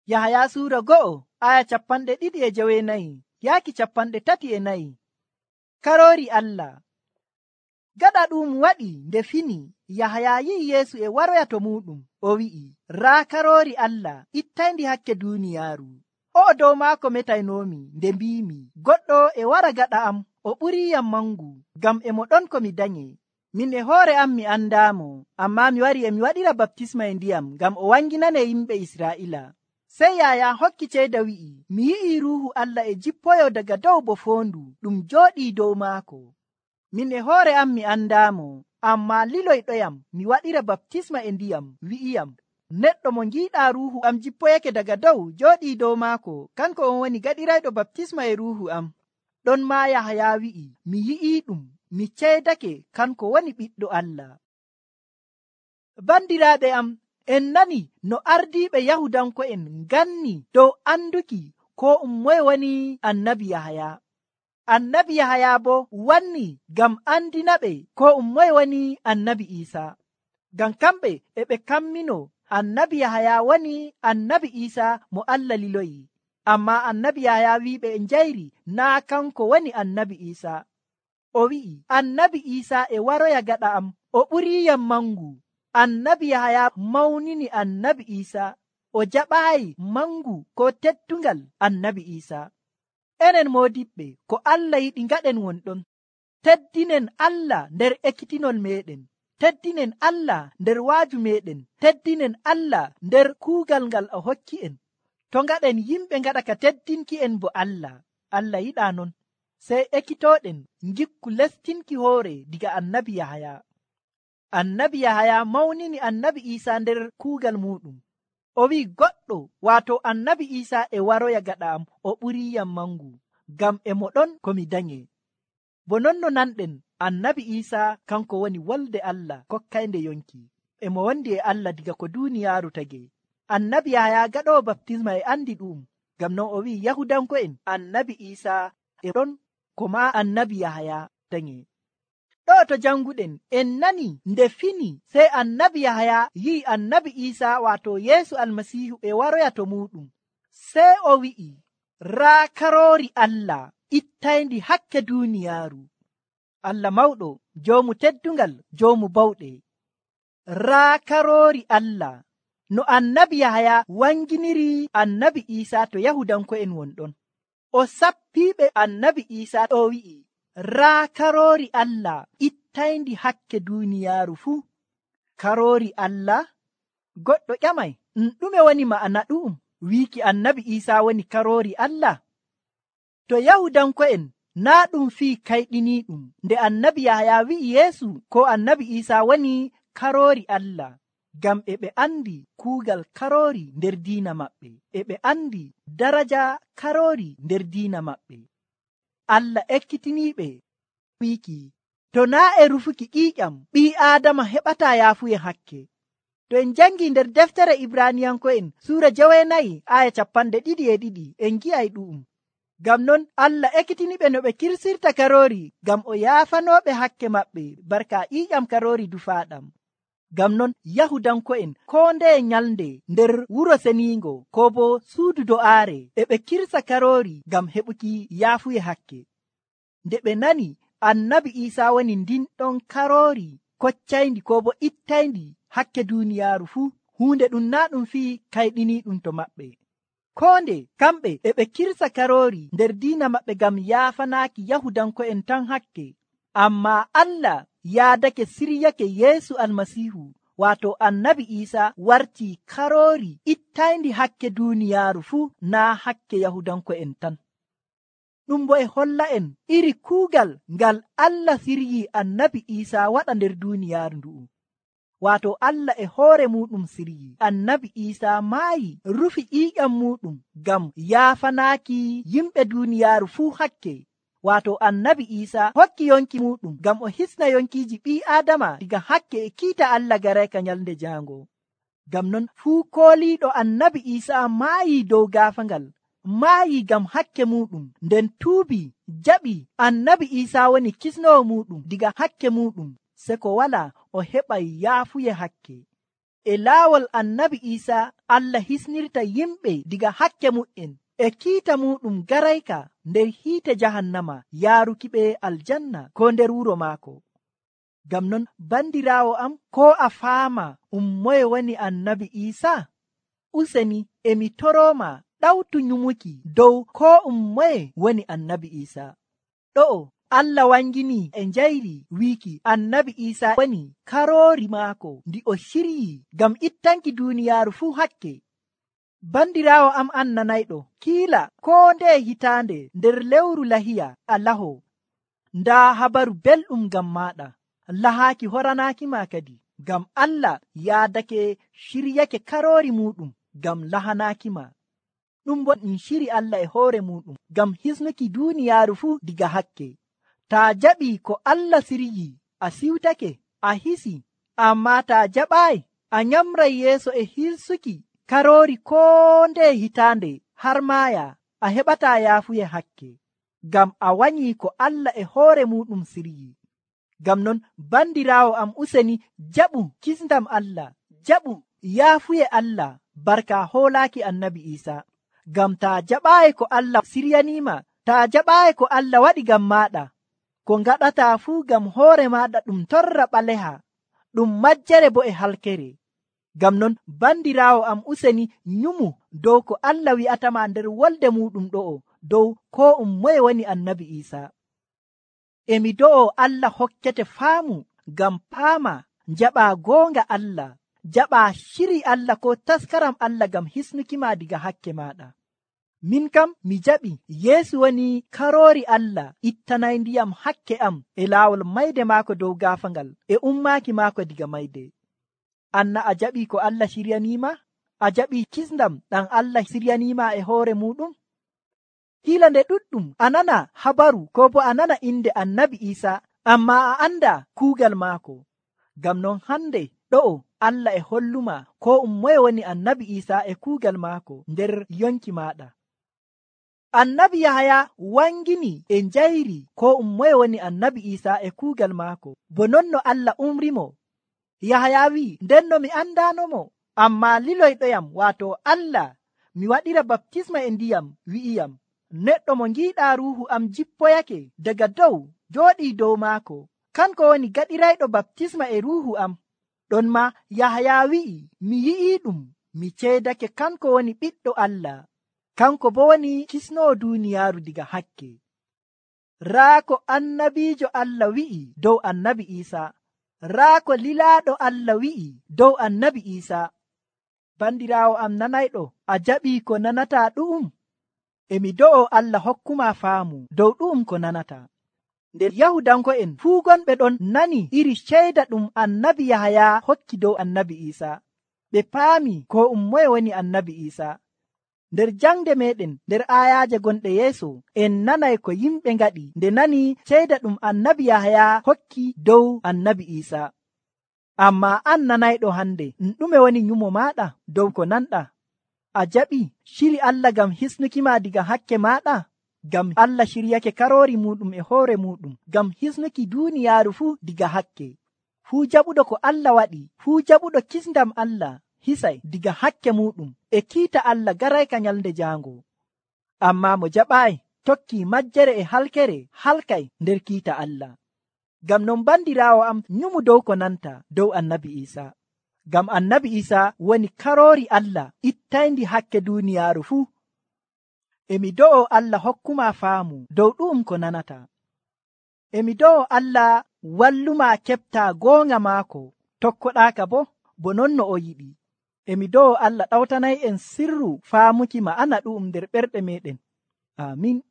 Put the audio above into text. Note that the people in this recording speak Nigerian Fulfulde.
Yahaya suura 2 aya 2:24 yaaki 34. Karoori Allah. Gaɗa ɗum waɗi nde fini, Yahaya yi'i Yeesu e waroya to muɗum. O wi'i, raa karoori Allah ittayndi hakke duuniyaaru. O'o dow maako metaynomi nde mbiimi, goɗɗo e wara gaɗa am, o ɓuriiyam mangu, ngam e mo ɗon ko mi danye. Min e hoore am mi andaamo, ammaa mi wari e mi waɗira baptisma e ndiyam ngam o wanginane yimɓe Israa'ila. Sey Yahaya hokki ceeda wi'i, mi yi'i Ruuhu Allah e jippoyo daga dow bo foondu ɗum jooɗii dow maako. Min e hoore am mi andaamo, ammaa liloyɗoyam mi waɗira baptisma e ndiyam wi'iyam, neɗɗo mo ngiiɗaa Ruuhu am jippoyake daga dow jooɗii dow maako, kanko on woni gaɗirayɗo baptisma e Ruuhu am. Ɗon maa Yahaya wi'i, mi yi'iiɗum, mi ceedake kanko woni Ɓiɗɗo Allah. Bandiraaɓe am, en nani no ardiiɓe Yahudanko'en nganni dow anduki ko moye woni annabi Yahaya. Annabi Yahaya bo wanni ngam andinaɓe ko moye woni annabi Isa. Ngam kamɓe e ɓe kammino annabi Yahaya woni annabi Isa mo Allah liloyi. Ammaa annabi Yahaya wi'iɓe e njayri naa kanko woni annabi Isa. O wi'i, annabi Isa e waroya gaɗa am, o ɓuriiyam mangu. Annabi Yahaya mawnini annabi Isa, o jaɓaayi mangu ko teddungal annabi Isa. Enen moodiɓɓe, ko Allah yiɗi ngaɗen wonɗon. Teddinen Allah nder ekkitinol meɗen. Teddinen Allah nder waaju meɗen. Teddinen Allah nder kuugal ngal o hokki en. To ngaɗen yimɓe ngaɗa ka teddinki en bo Allah yiɗaa non. Sey ekkitooɗen ngikku lestinki hoore diga annabi Yahaya. Annabi Yahaya mawnini annabi Isa nder kuugal muɗum. O wi'i goɗɗo, waato annabi Isa e waroya gaɗa am, o ɓuriiyam mangu, ngam e mo ɗon ko mi danye. Bo non no nanɗen, annabi Isa kanko woni wolde Allah kokkaynde yonki. E mo wondi e Allah diga ko duuniyaaru tagi. Annabi Yahaya gaɗowo baptisma e andi ɗum, ngam non o wi'i Yahudanko'en annabi Isa e ɗon ko ma annabi Yahaya danye. Ɗo to janguɗen en nani nde fini sey annabi Yahaya yi'i annabi Isa waato Yeesu almasiihu e waroya to muɗum. Sey o wi'i, raa karoori Allah ittayndi hakke duuniyaaru. Allah mawɗo, joomu teddungal, joomu bawɗe. Raa karoori Allah. No annabi Yahaya wanginiri annabi Isa to Yahudanko'en wonɗon. O sappiiɓe annabi Isa ɗo wi'i, raa karoori Allah ittayndi hakke duuniyaaru fuu. Karoori Allah? Goɗɗo ƴamay, ɗume woni ma'ana ɗu'um wiiki annabi Isa woni karoori Allah? To Yahudanko'en naa ɗum fii kayɗiniiɗum nde annabi Yahaya wi'i Yeesu ko annabi Isa woni karoori Allah, ngam e ɓe andi kuugal karoori nder diina maɓɓe, e ɓe andi daraja karoori nder diina maɓɓe. Allah ekkitiniiɓe wiiki, to naa e rufuki ƴiiƴam ɓii Aadama heɓataa yaafuye hakke. To en jangi nder deftere Ibraniyanko'en suura 9 aya 22 en gi'ay ɗu'um. Ngam non Allah ekkitiniɓe no ɓe kirsirta karoori ngam o yaafanooɓe hakke maɓɓe barka ƴiiƴam karoori dufaaɗam. Ngam non Yahudanko'en koo ndeye nyalnde nder wuro seniingo ko bo suudu do'aare e ɓe kirsa karoori ngam heɓuki yaafuye hakke. Nde ɓe nani annabi Isa woni ndin ɗon karoori koccayndi ko bo ittayndi hakke duuniyaaru fuu, huunde ɗum naa ɗum fii kayɗiniiɗum to maɓɓe. Koo nde kamɓe e ɓe kirsa karoori nder diina maɓɓe ngam yaafanaaki Yahudanko'en tan hakke. Ammaa Allah yaadake siryake Yeesu almasiihu waato annabi Isa wartii karoori ittayndi hakke duuniyaaru fuu, naa hakke Yahudanko'en tan. Ɗum bo e holla en iri kuugal ngal Allah siryii annabi Isa waɗa nder duuniyaaru ndu'u. Waato Allah e hoore muɗum siryii annabi Isa maayi rufi ƴiiƴam muɗum ngam yaafanaaki yimɓe duuniyaaru fuu hakke. Waato annabi Isa hokki yonki muɗum ngam o hisna yonkiiji ɓii Aadama diga hakke e kiita Allah garayka nyalnde jaango. Ngam non fuu kooliiɗo annabi Isa maayi dow gaafangal, maayi ngam hakke muɗum, nden tuubi jaɓi annabi Isa woni kisnowo muɗum diga hakke muɗum, se ko wala o heɓay yaafuye hakke. E laawol annabi Iisa Allah hisnirta yimɓe diga hakke mu'en e kiita muɗum garayka nder hiite jahannama yaaruki ɓe aljanna ko nder wuro maako. Ngam non bandiraawo am, ko a faama moye woni annabi Iisa? Useni emi torooma ɗawtu nyumuki dow ko moye woni annabi Iisa. Ɗo'o Allah wangini e njayri wiiki annabi Iisa woni karoori maako ndi o shiryi ngam ittanki duuniyaaru fuu hakke. Bandiraawo am annanayɗo, kiila ko nde hitaande nder lewru lahiya a laho, ndaa habaru belɗum ngam maaɗa, lahaaki horanaaki ma kadi, ngam Allah yaadake shiryake karoori muɗum ngam lahanaaki ma. Ɗum bo ɗum shiri Allah e hoore muɗum ngam hisnuki duuniyaaru fuu diga hakke. Taa jaɓi ko Allah siryi, a siwtake, a hisi, amma taa jaɓaayi, a nyamray yeeso e hirsuki karoori ko nde hitaande har maaya, a heɓataa yaafuye hakke, ngam a wanyi ko Allah e hoore muɗum siryi. Ngam non bandiraawo am, useni jaɓu kisndam Allah, jaɓu yaafuye Allah barka hoolaaki annabi Iisa. Ngam taa jaɓaayi ko Allah siryaniima, taa jaɓaayi ko Allah waɗi ngam maaɗa, ko ngaɗataa fuu ngam hoore maaɗa ɗum torra ɓaleha, ɗum majjere bo e halkere. Ngam non bandiraawo am, useni nyumu dow ko Allah wi'atama nder wolde muɗum ɗo'o dow ko moye woni annabi Iisa. Emi do'o Allah hokkete faamu ngam paama jaɓa goonga Allah, jaɓa shiri Allah ko taskaram Allah ngam hisnukima diga hakke maɗa. Min kam mi jaɓi Yeesu woni karoori Allah ittanay ndiyam hakke am e laawol mayde maako dow gaafangal e ummaaki maako diga mayde. Anna a jaɓi ko Allah shiryaniima? A jaɓi kisndam ɗam Allah siryaniima e hoore muɗum? Hiila nde ɗuɗɗum a nana habaru ko bo a nana inde annabi Iisa, amma a anda kuugal maako. Ngam non hande ɗo'o Allah e holluma ko moye woni annabi Iisa e kuugal maako nder yonki maɗa. Annabi Yahaya wangini e njayri ko moye woni annabi Iisa e kuugal maako, bo non no Allah umrimo. Yahaya wi'i, ndenno mi andanomo, amma liloyɗoyam, waato Allah, mi waɗira baptisma e ndiyam, wi'iyam, neɗɗo mo ngiiɗa ruuhu am jippoyake daga dow jooɗii dow maako, kanko woni gaɗirayɗo baptisma e ruuhu am. Ɗon ma Yahaya wi'i, mi yi'iiɗum, mi ceedake kanko woni ɓiɗɗo Allah, kanko bo woni kisnoo duuniyaaru diga hakke. Raa ko annabiijo Allah wi'i dow annabi Iisa, raa ko lilaaɗo Allah wi'i dow annabi Iisa. Bandiraawo am nanayɗo, a jaɓii ko nanataa ɗu'um? Emi do'o Allah hokkuma faamu dow ɗu'um ko nanata. Nder Yahudanko'en fuu gonɓe ɗon nani iri ceyda ɗum annabi Yahaya hokki dow annabi Iisa. Ɓe paami ko moye woni annabi Iisa. Nder jangde meɗen nder ayaaje gonɗe yeeso, en nanay ko yimɓe ngaɗi nde nani ceyda ɗum annabi Yahaya hokki dow annabi Iisa. Amma an nanayɗo hande, ɗume woni nyumo maɗa dow ko nanɗa? A jaɓi shiri Allah ngam hisnukima diga hakke maɗa? Ngam Allah shiryake karoori muɗum e hoore muɗum ngam hisnuki duuniyaaru fuu diga hakke. Fuu jaɓuɗo ko Allah waɗi, fuu jaɓuɗo kisndam Allah, hisay diga hakke muɗum e kiita Allah garayka nyalnde jaango. Amma mo jaɓaayi tokki majjere e halkere, halkay nder kiita Allah. Ngam non bandiraawo am, nyumu dow ko nanta dow annabi Iisa. Ngam annabi Iisa woni karoori Allah ittayndi hakke duuniyaaru fuu. Emi do'o Allah hokkuma faamu dow ɗu'um ko nanata. Emi do'o Allah walluma keɓta goonga maako, tokkoɗaaka bo non no o yiɗi. Emi do'o Allah ɗawtanay en sirru faamuki ma'ana ɗu'um nder ɓerɗe meɗen. Amin.